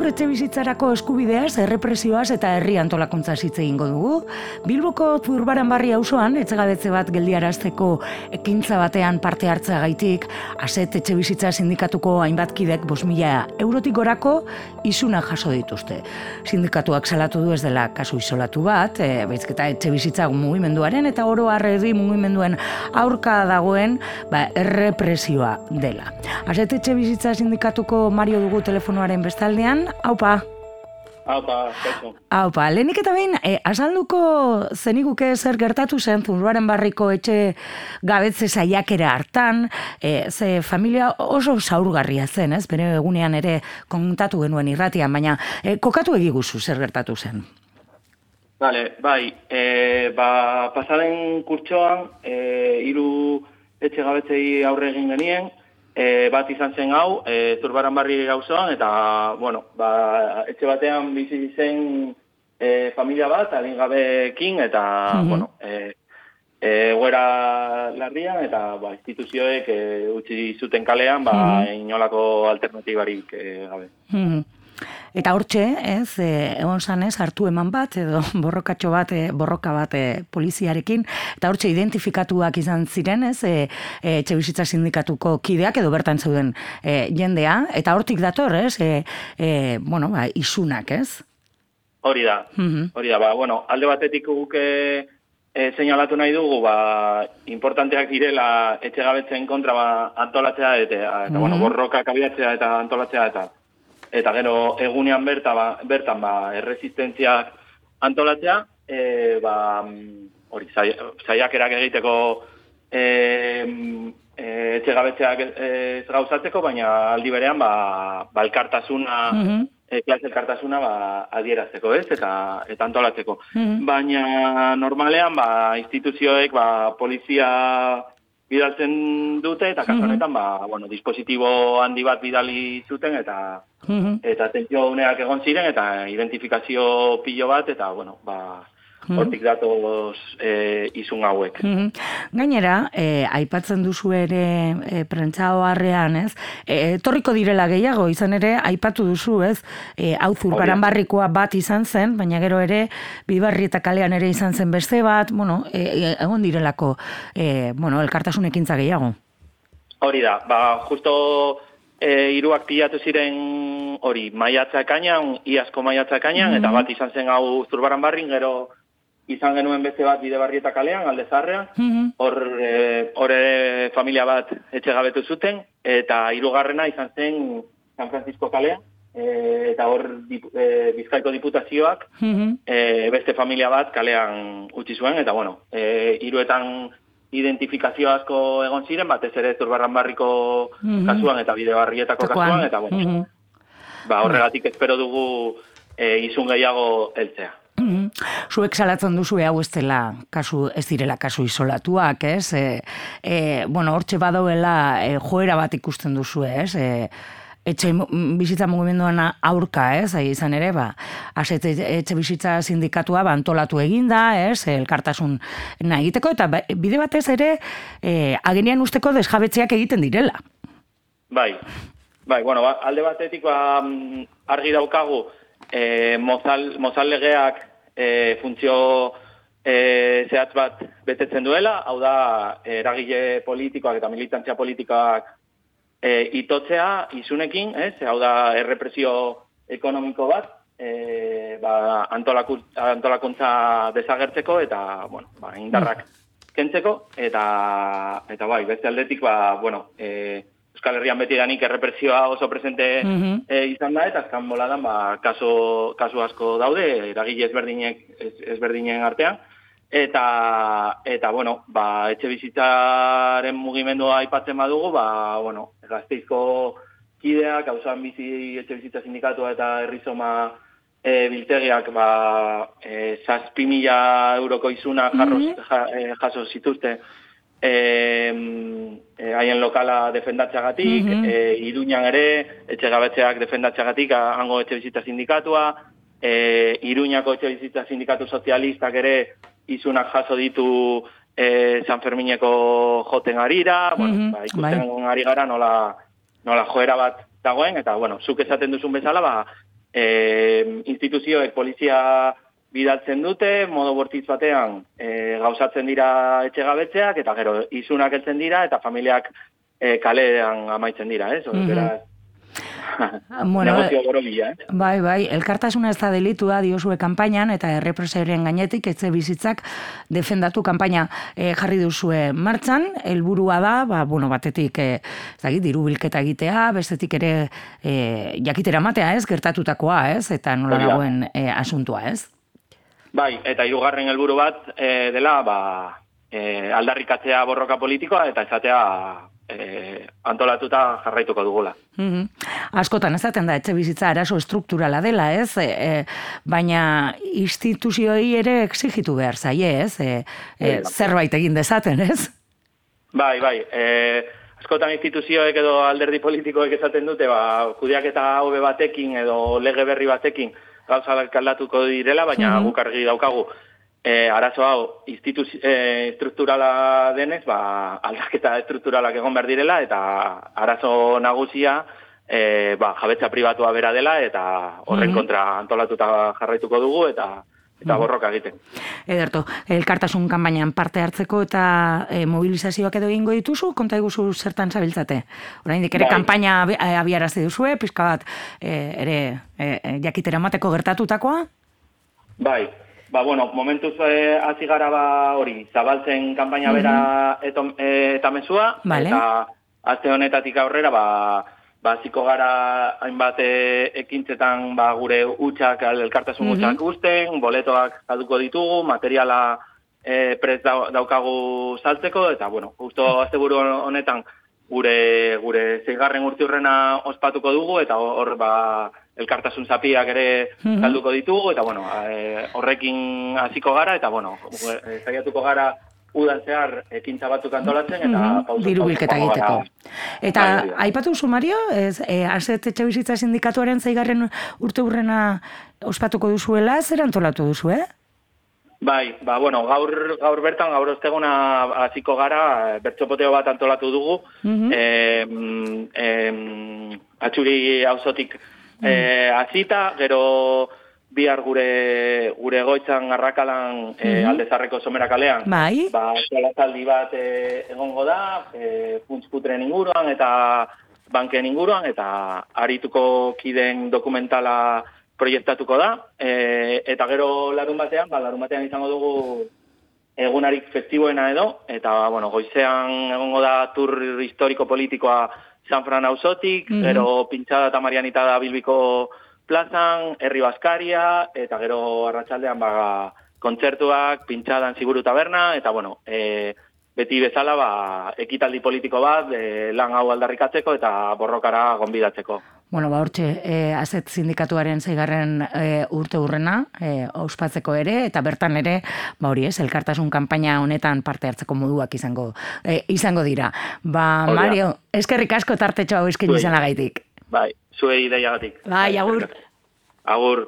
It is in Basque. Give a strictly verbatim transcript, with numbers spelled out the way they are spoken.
Gaur etxe bizitzarako eskubideaz, errepresioaz eta herri antolakuntza hitz egingo dugu. Bilboko Zurbaran barri auzoan etxegabetze bat geldiarazteko ekintza batean parte hartzeagaitik, Aset etxe bizitza sindikatuko hainbat kidek bost mila eurotik gorako isuna jaso dituzte. Sindikatuak salatu du ez dela kasu isolatu bat, e, baitzketa etxe bizitza mugimenduaren eta oro har herri mugimenduen aurka dagoen ba, errepresioa dela. Aset etxe bizitza sindikatuko Mario dugu telefonoaren bestaldean. Aupa. Aupa, kaixo. Aupa, lehenik eta behin, e, azalduko zeniguke zer gertatu zen Zurbaran barriko etxe gabetze saiakera hartan, e, ze familia oso zaurgarria zen, ez? Bere egunean ere kontatu genuen irratian, baina e, kokatu egiguzu zer gertatu zen. Vale, bai, e, ba, pasaren kurtsoan, e, hiru etxe gabetzei aurre egin genien, E, bat izan zen hau, e, Zurbaran barri auzoan eta, bueno, ba, etxe batean bizi zen e, familia bat, adingabeekin, eta, mm-hmm. bueno, e, e, egoera larrian, eta, ba, instituzioek e, utzi zuten kalean, ba, mm-hmm. inolako alternatibarik e, gabe. Mm-hmm. Eta hortxe, ez, egon zanez, hartu eman bat, edo borrokatxo bat, borroka bat poliziarekin, eta hortxe identifikatuak izan ziren, ez, e, e, etxe bizitza sindikatuko kideak, edo bertan zeuden e, jendea, eta hortik dator, ez, e, e, bueno, ba, isunak, ez? Hori da, mm-hmm. hori da, ba, bueno, alde batetik guk e, e, seinalatu nahi dugu, ba, importanteak direla etxegabetzen kontra ba, antolatzea, eta, eta mm-hmm. bueno, borrokak abiatzea eta antolatzea, eta eta gero egunean berta, ba, bertan ba, erresistentziak antolatzea, e, ba, hori, saiakerak egiteko e, e, etxegabetzeak ez gauzatzeko, baina aldi berean ba, ba elkartasuna, mm-hmm. e, klase elkartasuna ba, adierazteko, ez, eta, eta antolatzeko. Mm-hmm. Baina normalean ba, instituzioek ba, polizia bidaltzen dute, eta kasu honetan, ba, bueno, dispositibo handi bat bidali zuten, eta mm-hmm. eta tentsio uneak egon ziren, eta identifikazio pilo bat, eta, bueno, ba, hortik datoz e, izun hauek. Mm-hmm. Gainera, e, aipatzen duzu ere e, prentsa oharrean, ez? E, etorriko direla gehiago, izan ere, aipatu duzu, ez? E, hau Zurbaran barrikoa bat izan zen, baina gero ere, Bibarri eta kalean ere izan zen beste bat, bueno, e, egon direlako, e, bueno, elkartasun ekintza gehiago. Hori da, ba, justo e, hiruak pilatu ziren hori, maiatza ekainan, iazko maiatza ekainan, mm-hmm. eta bat izan zen hau Zurbaran barrin, gero izan genuen beste bat Bidebarri eta kalean, alde zaharrean, hor mm-hmm. e, familia bat etxegabetu zuten, eta hirugarrena izan zen San Francisco kalean, e, eta hor dip, e, Bizkaiko diputazioak mm-hmm. e, beste familia bat kalean utzi zuen, eta bueno, e, hiruetan identifikazio asko egon ziren, batez ere Zurbaran barriko mm-hmm. kasuan eta Bidebarrietako kasuan, eta bueno, mm-hmm. ba, horregatik espero dugu e, izun gehiago heltzea. Mm-hmm. Zuek salatzen duzu hau ez dela kasu, ez direla kasu isolatuak, ez? E, e, bueno, hortxe badoela e, joera bat ikusten duzu, ez? E, etxe bizitza mugimenduan aurka, ez? Ahi izan ere, ba, Aset etxe bizitza sindikatua ba, antolatu eginda, ez? Elkartasun nahi egiteko, eta bide batez ere e, agenian usteko desjabetzeak egiten direla. Bai, bai, bueno, ba, alde batetik ba, argi daukagu, E, mozal, mozal legeak e, funtzio e, zehatz bat betetzen duela, hau da eragile politikoak eta militantzia politikoak e, itotzea izunekin, ez? Hau da errepresio ekonomiko bat, e, ba, antolaku, antolakuntza desagertzeko eta bueno, ba, indarrak kentzeko, eta, eta bai, beste aldetik, ba, bueno, e, Euskal Herrian beti danik errepresioa oso presente mm-hmm. e, izan da, eta azkan boladan ba, kaso, kaso asko daude, eragile ezberdinek, ez, ezberdinen artean, eta, eta bueno, ba, etxe bizitzaren mugimendua aipatzen badugu, ba, bueno, Gasteizko kideak, hausan bizi etxe bizitza sindikatua eta herrizoma e, biltegiak, ba, e, zazpi mila euroko izuna jarros, mm-hmm. ja, e, jaso zituzte, haien e, lokala defendatzeagatik, mm-hmm. e, Iruñan ere, etxegabetzeak defendatzeagatik, hango etxe bizitza sindikatua, e, Iruñako etxe bizitza sindikatu sozialistak ere izunak jaso ditu e, San Fermineko joten arira, mm-hmm. bueno, ba, ikusten bai. Ari gara nola, nola joera bat dagoen, eta, bueno, zuk esaten duzun bezala, ba, e, instituzioek polizia bidaltzen dute, modo bortitz batean e, gauzatzen dira etxegabetzeak, eta gero izunak heltzen dira, eta familiak e, kalean amaitzen dira, ez? Mm-hmm. Beraz, bueno, negozio borobila, eh? Bai, bai, elkartasuna ez da delitua diozue kanpainan, eta errepresioaren gainetik etxe bizitzak defendatu kanpaina e, jarri duzue martxan, helburua da, ba, bueno, batetik e, zagi, diru bilketa egitea, bestetik ere e, jakitera matea, ez, gertatutakoa, ez, eta nola dagoen e, asuntua, ez? Bai, eta hirugarren helburu bat e, dela, ba, e, aldarrikatzea borroka politikoa, eta esatea E, antolatuta jarraituko dugula. Mm-hmm. Askotan ezaten da, etxe bizitza arazo estrukturala dela, ez? E, e, baina instituzioi ere exigitu behar zaie, ez? E, e, zerbait egin dezaten, ez? Bai, bai. E, askotan instituzioek edo alderdi politikoek esaten dute, ba, kudeaketa hobe batekin edo lege berri batekin gauzak aldatuko direla, baina mm-hmm. guk argi daukagu. E, arazo hau, instituzio e, estrukturala denez, ba, aldaketa estrukturalak egon behar direla, eta arazo nagusia e, ba, jabetza pribatua bera dela, eta horren mm-hmm. kontra antolatuta jarraituko dugu, eta eta borroka egiten. Ederto, elkartasun kanpainan parte hartzeko eta e, mobilizazioak edo egingo dituzu, konta iguzu zertan zabiltzate? Oraindik ere bai. Kanpaina abiarazi duzue, pixka bat e, ere e, jakitera mateko gertatutakoa? Bai. Ba, bueno, momentuz eh, hasi gara ba hori, zabaltzen kanpaina bera eto, e, eta mezua, vale. Eta aste honetatik aurrera, ba, ba hasiko gara hainbat e, ekintzetan ba, gure hutsak, elkartasun hutsak mm-hmm. usten, boletoak salduko ditugu, materiala e, prest daukagu saltzeko, eta, bueno, justo asteburu honetan gure gure seigarren urteurrena ospatuko dugu, eta hor, ba, elkartasun zapiak ere salduko ditugu, eta bueno, e, horrekin hasiko gara, eta bueno, saiatuko gara udan zehar ekintza batzuk antolatzen, eta pausa. Diru bilketa egiteko. Eta aipatu duzu, Mario, ez, e, Aset Etxebizitza Sindikatuaren zeigarren urteurrena ospatuko duzuela, zer antolatu duzu, eh? Bai, ba, bueno, gaur, gaur bertan, gaur osteguna hasiko gara, bertxopoteo bat antolatu dugu, mm-hmm. e, e, atxuri auzotik Eh, azita, gero bihar gure gure goitzan arrakalan eh, mm-hmm. aldezarreko somera kalean. Bai. Ba, zaldi bat eh, egongo da, eh, puntsputren inguruan eta banken inguruan, eta arituko kiden dokumentala proiektatuko da. Eh, eta gero larun batean, ba, larun batean izango dugu egunarik festiboena edo, eta bueno, goizean egongo da tur historiko politikoa San Fran auzotik, mm-hmm. gero pintxada eta Marianita da Bilbiko plazan, Herri Baskaria, eta gero arratsaldean ba, kontzertuak, pintxadan Ziburu Taberna, eta bueno, e, beti bezala ba, ekitaldi politiko bat, e, lan hau aldarrikatzeko eta borrokara gonbidatzeko. Bueno, ba, hortxe, e, Aset Sindikatuaren zeigarren e, urte urrena, e, ospatzeko ere, eta bertan ere, ba hori ez, elkartasun kanpaina honetan parte hartzeko moduak izango e, izango dira. Ba, Oria. Mario, eskerrik asko tartetxo hau eskin izanagaitik. Bai, zuei ideiagatik. Bai, agur. Agur.